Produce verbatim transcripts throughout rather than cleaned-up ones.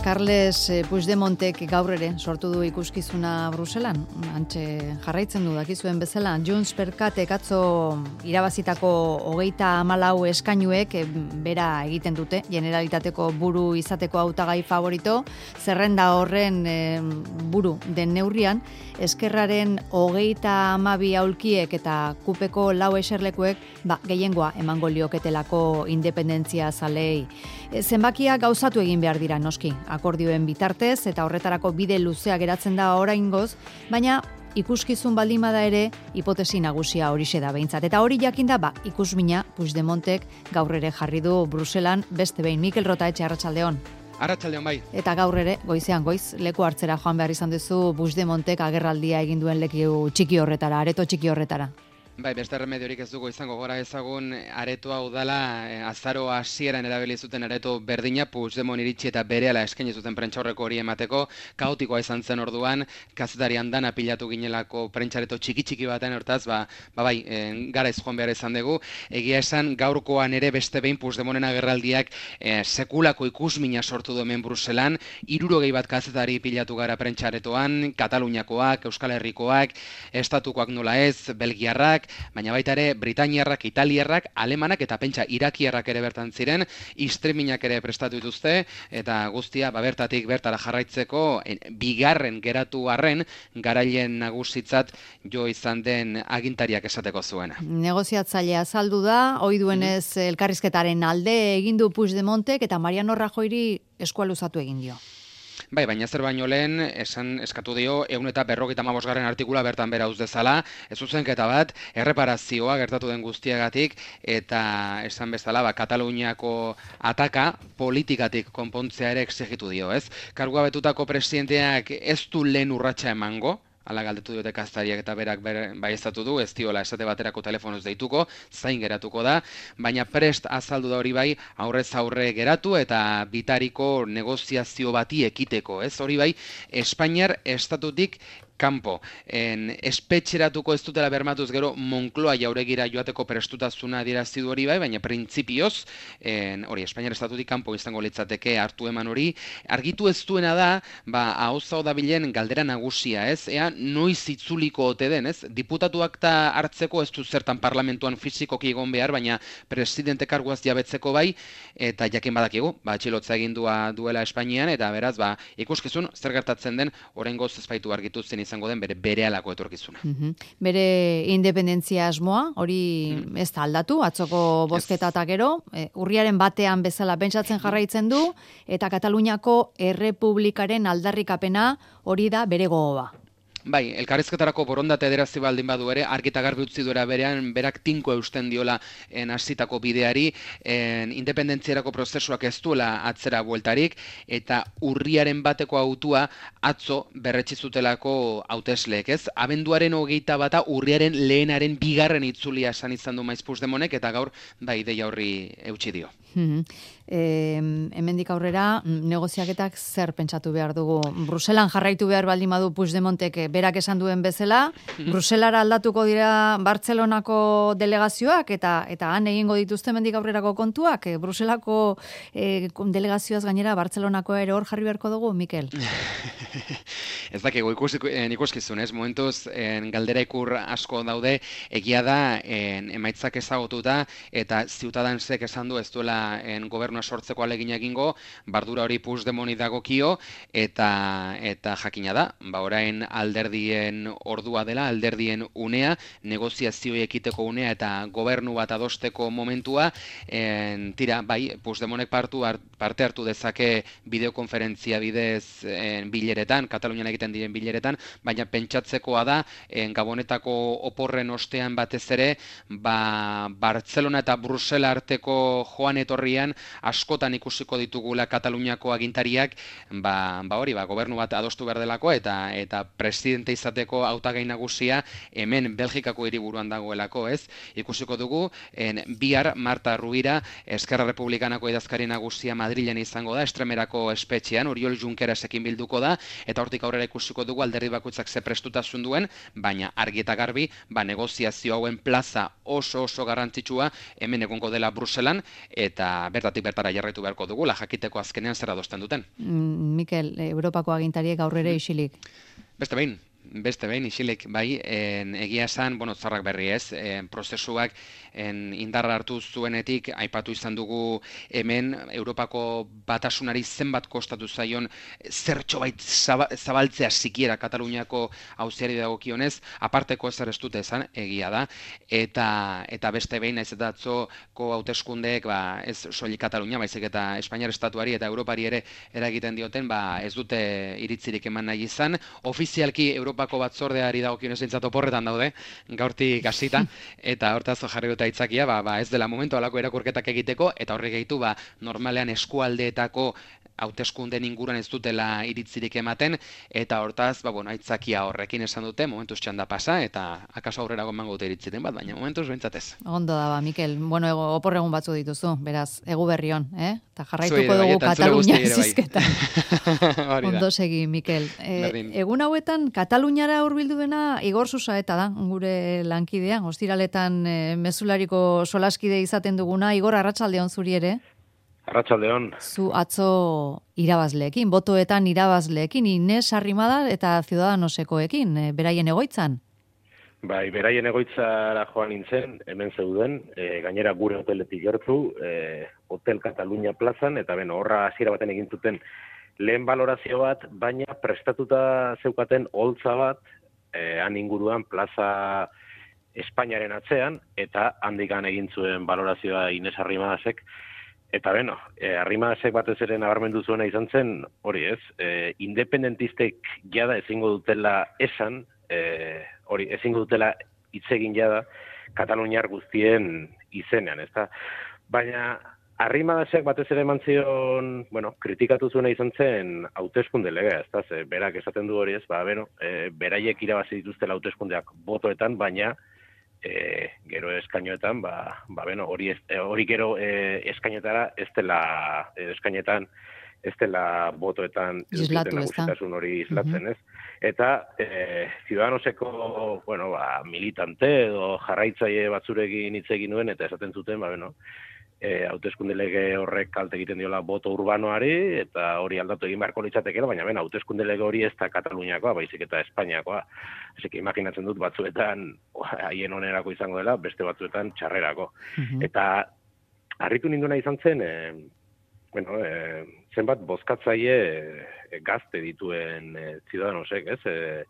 Carles Puigdemontek gaur ere sortu du ikuskizuna Bruselan. Antxe jarraitzen du dakizuen bezala. Junts per Katek atzo irabazitako hogeita hamalau eskainuek bera egiten dute. Generalitateko buru izateko hautagai favorito. Zerrenda horren e, buru den neurrian, Eskerraren hogeita hamabi aulkiek eta kupeko lau eserlekuek ba, gehiengoa emango lioketelako independentzia zalei. E, zenbakia gauzatu egin behar dira noski, akordioen bitartez eta horretarako bide luzea geratzen da oraingoz, baina ikuskizun baldin bada ere hipotesi nagusia horixe da behintzat. Eta hori jakinda, ba, ikusmina Puigdemontek gaur ere jarri du Bruselan beste behin. Mikel Rotaetxe, arratsaldeon. Arratsaldeon bai. Eta gaur ere, goizean goiz, leku hartzera joan behar izan duzu Puigdemontek agerraldia egin duen leku txiki horretara, areto txiki horretara. Bai, beste remediorik ez dugu izango, gora ezagun aretoa udala eh, azaro hasieran erabili zuten areto berdina Puigdemont iritsi eta berehala eskaini zuten prentsaurreko hori emateko, kaotikoa izan zen orduan, kazetari andana pilatu ginelako prentsareto txiki txiki baten, hortaz, ba, ba bai, eh, garaiz joan behar izan dugu. Egia esan gaurkoan ere beste behin Puigdemonten agerraldiak eh, sekulako ikusmina sortu du hemen Bruselan, hirurogei bat kazetari pilatu gara prentsaretoan, Kataluniakoak, Euskal Herrikoak, estatukoak nola ez, belgiarrak, baina baita ere britainiarrak, italiarrak, alemanak eta pentsa irakiarrak ere bertan ziren, streamingak ere prestatu dituzte, eta guztia ba, bertatik bertara jarraitzeko en, bigarren geratu arren garailen nagusitzat jo izan den agintariak esateko zuena. Negoziatzailea azaldu da, ohi duenez mm-hmm. elkarrizketaren alde egin du Puigdemontek eta Mariano Rajoyri eskua luzatu egin dio. Bai, baina zer baino lehen, esan eskatu dio, ehun eta berrogeita hamabosgarren artikula bertan bera uz dezala, ez zuzenketa bat, erreparazioa gertatu den guztiagatik, eta esan bezala, ba, Kataluniako ataka politikatik konpontzea ere exigitu dio, ez? Kargua betutako presidenteak ez du lehen urratsa emango, ala galdetu diote kaztariak eta berak ber, baieztatu du, ez diola esate baterako telefonoz deituko, zain geratuko da, baina prest azaldu da hori bai, aurrez aurre geratu eta bitariko negoziazio bati ekiteko, ez? Hori bai, Espainiar estatutik kanpo, en, espetxeratuko ez dutela bermatuz gero Moncloa jauregira joateko prestutazuna adierazi du hori bai, baina printzipioz, en, hori, Espainiar estatutik kanpo izango litzateke hartu eman hori, argitu ez duena da, ba, ahozao da bilen galdera nagusia, ez? Ea, noiz itzuliko ote den, ez? Diputatuak ta hartzeko ez du zertan parlamentuan fizikoki egon behar, baina presidente karguaz jabetzeko bai, eta jakin badakigu, ba, txilotza egindua duela Espainian, eta beraz, ba, ikuskizun, zer gertatzen den, oraingoz ez baitu argitu zen izango den bere berehalako etorkizuna. Mm-hmm. Bere independentzia asmoa, hori mm. ez da aldatu, atzoko bozketa eta gero, e, urriaren batean bezala pentsatzen jarraitzen du, eta Kataluniako Errepublikaren aldarrikapena hori da bere gogoa. Bai, elkarrizketarako borondate adierazi baldin badu ere, argi eta garbi utzi duera berean, berak tinko eusten diola en hasitako bideari, en independentziarako prozesuak ez duela atzera bueltarik, eta urriaren bateko autua atzo berretsi zutelako hautesleek, ez? Abenduaren hogeita bata urriaren lehenaren bigarren itzulia esan izan du Maiz Puigdemontek, eta gaur da ideia horri eutsi dio. Hmm. E, hemendik aurrera negoziaketak zer pentsatu behar dugu? Bruselan jarraitu behar baldin badu Puigdemontek berak esan duen bezala, Bruselara aldatuko dira Bartzelonako delegazioak eta eta han egingo dituzte hemendik aurrerako kontuak, e, Bruselako e, delegazioaz gainera Bartzelonako ere hor jarri beharko dugu, Mikel? Ez dakigu ikuskizun, ez? Momentuz en, galdera ikur asko daude, egia da en, emaitzak ezagututa eta Ciutadansek esan du ez duela en, gobernua sortzeko alegina egingo, bardura hori Puigdemoni dagokio eta eta jakina da, ba orain alderdien ordua dela, alderdien unea, negoziazioa ekiteko unea eta gobernu bat adosteko momentua, en, tira, bai, Puigdemonek partu parte hartu dezake bideokonferentzia bidez en, bileretan, Katalunian egiten diren bileretan, baina pentsatzekoa da, en, Gabonetako oporren ostean batez ere, ba, Bartzelona eta Brusela arteko joan etorrian askotan ikusiko ditugula Kataluniako agintariak, ba, ba hori, ba, gobernu bat adostu behar delako eta eta presidente izateko hautagai nagusia hemen Belgikako hiriburuan dagoelako, ez? Ikusiko dugu, en, bihar Marta Rubira, Eskerra Republikanako idazkari nagusia Madrilen izango da, Estremerako espetxean, Oriol Junquerasekin bilduko da, eta hortik aurrera ikusiko dugu alderdi bakoitzak ze prestutasun duen, baina argi eta garbi, ba, negoziazio hauen plaza oso oso garrantzitsua hemen egongo dela Bruselan, eta bertatik bertara jarraitu beharko dugu, la jakiteko azkenean zer adosten duten. Mm, Mikel, Europako agintariek aurrera isilik. Beste behin, beste behin, isilik, bai, en, egia esan, bueno, zarrak berri ez, en, prozesuak en, indarra hartu zuenetik, aipatu izan dugu hemen, Europako batasunari zenbat kostatu zaion, zertxo bait zabaltzea sikiera Kataluniako auziari dagokionez, aparteko ezer ez dute esan, egia da, eta eta beste behin, naiz eta atzoko hauteskundeek, ba, ez soilik Katalunia, baizik eta Espainiar estatuari eta Europari ere eragiten dioten, ba, ez dute iritzirik eman nahi izan, ofizialki Europako batzordeari dagokionez behintzat oporretan daude, gaurtik hasita, eta hortaz jarri dute aitzakia, ba, ba, ez dela momentu alako irakurketak egiteko, eta horrek gehitu, ba, normalean eskualdeetako hauteskunden inguruan ez dutela iritzirik ematen, eta hortaz, ba, bueno, aitzakia horrekin esan dute, momentuz txanda pasa, eta akaso aurrera gomango dute iritziten bat, baina momentuz behintzatez. Ondo da, ba, Mikel, bueno, ego, oporregun batzu dituzu, beraz, egu berrion, eh? Eta jarraituko dugu Katalunia zizketan. Ondo segi, Mikel. E, egun hauetan, Kataluniara hurbildu dena Igor Susaeta da, gure lankidea, ostiraletan e, mezulariko solaskide izaten duguna. Igor, arratsaldeon zuri ere? Arratsaldeon. Zu atzo irabazleekin, botoetan irabazleekin, Ines Arrimada eta Ciudadanosekoekin, e, beraien egoitzan? Bai, beraien egoitzara joan nintzen, hemen zeuden, e, gainera gure hoteletik gertu, e, Hotel Catalunya plazan, eta beno, horra hasiera baten egin zuten lehen balorazio bat, baina prestatuta zeukaten holtza bat, e, han inguruan plaza Espainiaren atzean, eta handikan egin zuen balorazioa Ines Arrimadasek. Eta beno, e, Arrimadasek batez ere nabarmendu zuena izan zen, hori ez, e, independentistek jada ezingo dutela esan, e, hori ezingo dutela hitz egin jada Kataluniar guztien izenean, ezta? Baina Arrimadasek batez ere eman zion, bueno, kritikatu zuena izan zen hauteskunde legea, ezta? Ze berak esaten du hori ez, ba, beno, e, beraiek irabazi dituztela hauteskundeak botoetan, baina E, gero eskainoetan, ba, ba beno, hori, ez, hori gero e, eskainetara ez dela, e, eskainetan ez dela botoetan islatu, nagusitasun hori islatzen, uh-huh. ez? Eta e, Ciudadanoseko, bueno, ba, militante edo jarraitzaile batzurekin hitz egin nuen, eta esaten zuten, ba, beno, e, hauteskunde lege horrek kalte egiten diola boto urbanoari, eta hori aldatu egin beharko litzatekeela, baina bena, hauteskunde lege hori ez da Kataluniakoa, baizik eta Espainiakoa. Asik, imaginatzen dut batzuetan haien onerako izango dela, beste batzuetan txarrerako. Uh-huh. Eta harritu ninduna izan zen, e, bueno, e, zenbat bozkatzaile e, gazte dituen e, Ciudadanosek, ez? E,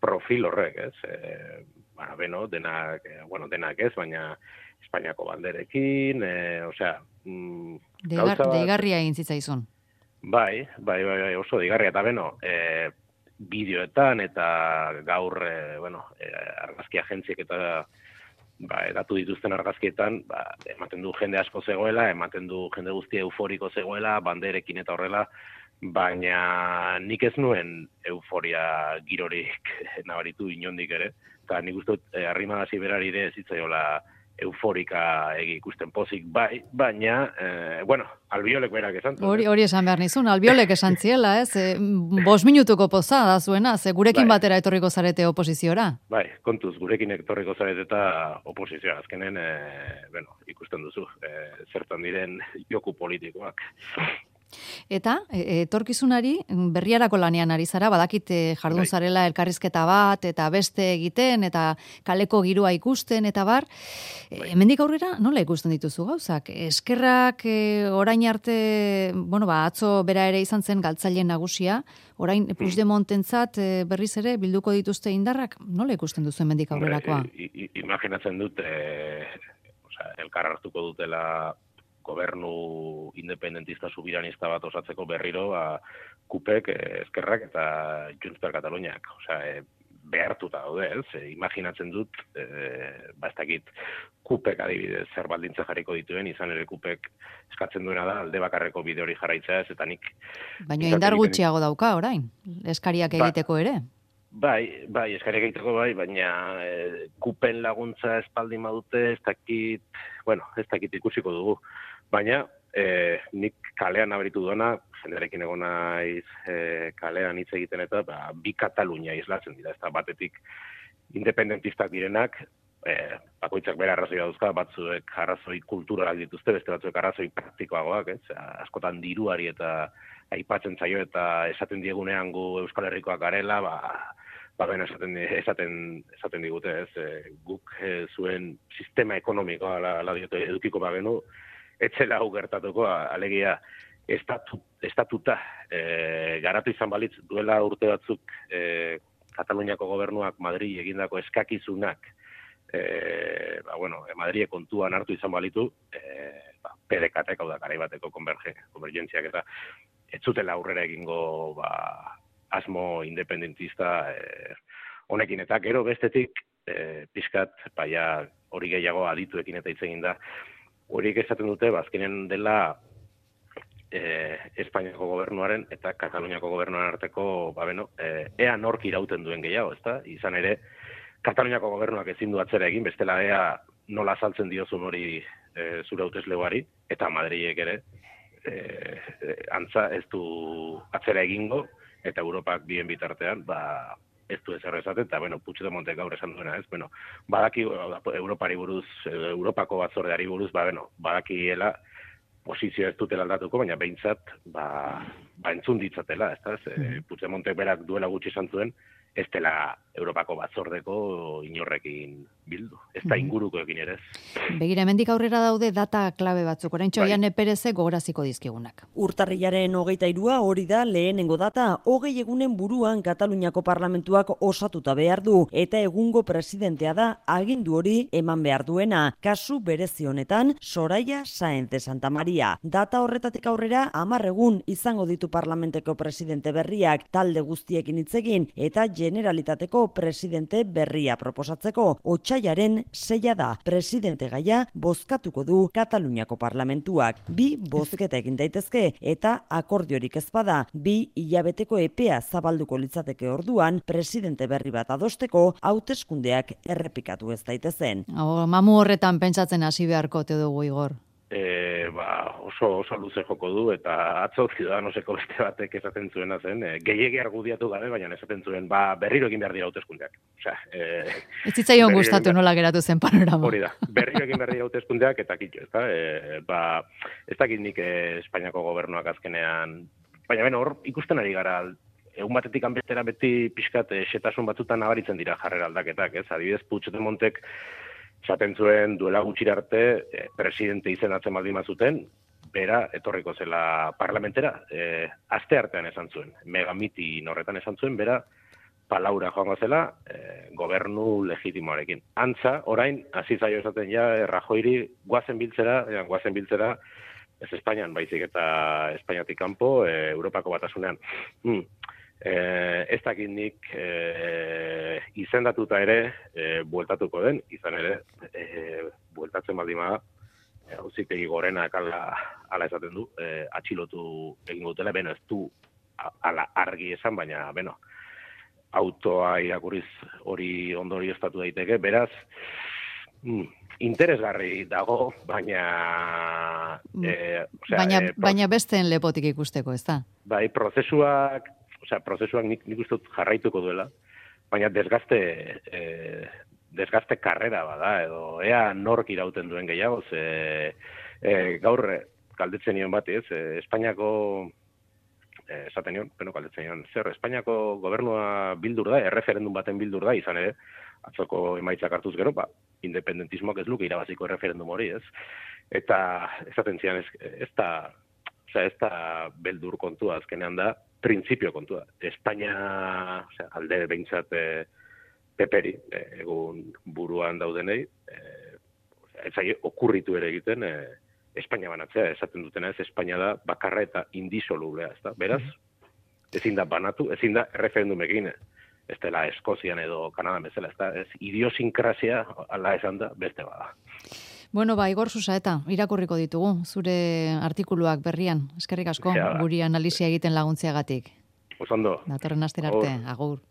profil horrek, ez? E, ba, beno, denak, e, bueno, denak ez, baina Espainiako banderekin, e, osea... Mm, Deigar, deigarria egin zitzaizun. Bai, bai, bai, bai, oso deigarria, eta beno, e, bideoetan eta gaur, e, bueno, e, argazki agentziek eta ba, edatu dituzten argazkietan, ba, ematen du jende asko zegoela, ematen du jende guztia euforiko zegoela, banderekin eta horrela, baina nik ez nuen euforia girorik nabaritu inondik ere, eta nik uste dut e, Arrimagasi berari ere ez zitzaiola euforika egi ikusten pozik, bai, baina, eh, bueno, Albiolek berak esan. Hori, hori esan behar nizun, Albiolek esan ziela, ez? E, bos minutuko poza da zuena, ze gurekin bai. Batera etorriko zarete oposiziora. Bai, kontuz, gurekin etorriko zarete eta oposizioa, azkenen, e, bueno, ikusten duzu, e, zertan diren joku politikoak. Eta, etorkizunari, berriarako lanean ari zara, badakit jardun zarela elkarrizketa bat, eta beste egiten, eta kaleko giroa ikusten, eta bar. Bai. Hemendik aurrera, nola ikusten dituzu gauzak? Eskerrak e, orain arte, bueno, ba, atzo bera ere izan zen galtzaileen nagusia, orain Puigdemontentzat e, berriz ere bilduko dituzte indarrak, nola ikusten duzu hemendik aurrerakoa? I, i, imaginatzen dut, e, osea, elkar hartuko dutela gobernu independentista subiranista bat osatzeko berriro, ba, kupek, eskerrak eta Junts per Kataluniak. Osea, e, behartuta daude, ez? E, imaginatzen dut, e, ba, ez dakit, kupek adibidez zer baldintza jarriko dituen, izan ere kupek eskatzen duena da, alde bakarreko bide hori jarraitzea ez, eta nik... Baina indar gutxiago dauka, orain, eskariak egiteko ere. Bai, bai, eskariak egiteko bai, baina e, kupen laguntza espaldin badute, ez dakit, bueno, ez dakit ikusiko dugu. Baina, e, nik kalean nabaritu duena, jenderekin egon naiz e, kalean hitz egiten eta ba, bi Katalunia islatzen dira, ez da batetik independentistak direnak, e, bakoitzak bere arrazoia dauzka, batzuek arrazoi kulturalak dituzte, beste batzuek arrazoi praktikoagoak, ez? Askotan diruari eta aipatzen zaio eta esaten diegunean gu Euskal Herrikoak garela, ba, ba ben esaten, esaten, esaten digute, ez? E, guk e, zuen sistema ekonomikoa la, la diote edukiko bagenu, etzela hau gertatuko, alegia estatu, estatuta e, garatu izan balitz duela urte batzuk e, Kataluniako gobernuak Madrid egindako eskakizunak e, ba, bueno, Madrid kontuan hartu izan balitu, e, ba, P D K-ek, hau da, garaibateko konvergentziak eta ez zutela aurrera egingo ba, asmo independentista e, honekin eta gero bestetik e, pixkat baia hori gehiago adituekin eta hitz egin da horiek esaten dute, bazkenen dela e, Espainiako gobernuaren eta Kataluniako gobernuaren arteko, ba beno, e, ea nork irauten duen gehiago, ezta? Izan ere, Kataluniako gobernuak ezin du atzera egin, bestela ea nola saltzen diozun hori e, zure hauteslegoari, eta Madrilek ere, e, e, antza ez du atzera egingo, eta Europak bien bitartean, ba, ez du ezer esaten, eta, bueno, Puigdemontek gaur esan duena, ez, bueno, badaki Europari buruz, Europako batzordeari buruz, ba, bueno, badakiela posizio ez dutela aldatuko, baina behintzat, ba, ba entzun ditzatela, ez da, ez, Puigdemontek berak duela gutxi esan zuen, ez dela Europako batzordeko inorrekin bildu, ez da ingurukoekin ere ez. Begira, hemendik aurrera daude data klabe batzuk, oraintxo bai. Iane Pereze gogoraziko dizkigunak. Urtarrilaren hogeita hirua hori da lehenengo data, hogei egunen buruan Kataluniako parlamentuak osatuta behar du, eta egungo presidentea da agindu hori eman behar duena, kasu berezi honetan Soraya Sáenz de Santa Maria. Data horretatik aurrera hamar egun izango ditu parlamenteko presidente berriak, talde guztiekin hitz egin eta Generalitateko presidente berria proposatzeko. Otsailaren seia da, presidente gaia bozkatuko du Kataluniako parlamentuak. Bi bozketa egin daitezke eta akordiorik ez bada, bi hilabeteko epea zabalduko litzateke orduan, presidente berri bat adosteko hauteskundeak errepikatu ez daitezen. O, mamu horretan pentsatzen hasi beharko te dugu, Igor. E, ba, oso, oso luze joko du, eta atzo Ciudadanoseko beste batek esaten zuena zen, e, gehiegi argudiatu gabe, baina esaten zuen, ba, berriro egin behar dira hauteskundeak. Osea, e, ez zitzaion gustatu nola geratu zen panorama. Hori da, berriro egin behar dira hauteskundeak, eta kitxo, ez da, e, ba, ez dakit nik e, Espainiako gobernuak azkenean, baina beno, hor ikusten ari gara, egun batetik anbestera beti pixkat e, xetasun batzutan nabaritzen dira jarrera aldaketak, ez, adibidez Puigdemontek esaten zuen duela gutxira arte eh, presidente izenatzen baldin bazuten, bera etorriko zela parlamentera, eh, aste artean esan zuen, megamiti horretan esan zuen, bera palaura joango zela eh, gobernu legitimoarekin. Antza, orain, hasi zaio esaten ja, Rajoiri guazen biltzera, eh, guazen biltzera, ez Espainian, baizik eta Espainiatik kanpo, eh, Europako batasunean. Hmm. Eh, ez dakit nik eh, izendatuta ere eh, bueltatuko den, izan ere eh, bueltatzen baldin bada eh, auzitegi gorenak ala, ala esaten du, eh, atxilotu egingo dutela, beno ez du ala argi esan, baina beno autoa irakurriz hori ondori estatu daiteke, beraz mm, interesgarri dago, baina eh, osea, baina, eh, baina besteen lepotik ikusteko, ez da? Bai, prozesuak Osea, prozesuak nik, nik uste dut jarraituko duela, baina desgazte, eh, desgazte karrera bada, edo ea nork irauten duen gehiago, ze eh, gaur galdetzen nion bat, ez, eh, Espainiako, eh, esaten nion, beno galdetzen nion, zer, Espainiako gobernua bildur da, erreferendum baten bildur da, izan ere, atzoko emaitzak hartuz gero, ba, independentismoak ez luke irabaziko erreferendum hori, ez, eta esaten zian, ez, ez da, osea, ez da beldur kontua azkenean da, printzipio kontua. Espainia, osea, alde behintzat e, peperi, e, egun buruan daudenei, e, ez zai okurritu ere egiten, e, Espainia banatzea, esaten dutena ez, Espainia da bakarra eta indisolublea, ez da? Beraz, ezin da banatu, ezin da referendumekin, ez dela Eskozian edo Kanadan bezala, ez da? Ez idiosinkrasia, ala esan da, beste bada. Bueno, ba, Igor Susaeta, irakurriko ditugu, zure artikuluak berrian. Eskerrik asko, ja, guri analisia egiten laguntziagatik. Osondo. Datorren astera arte, agur.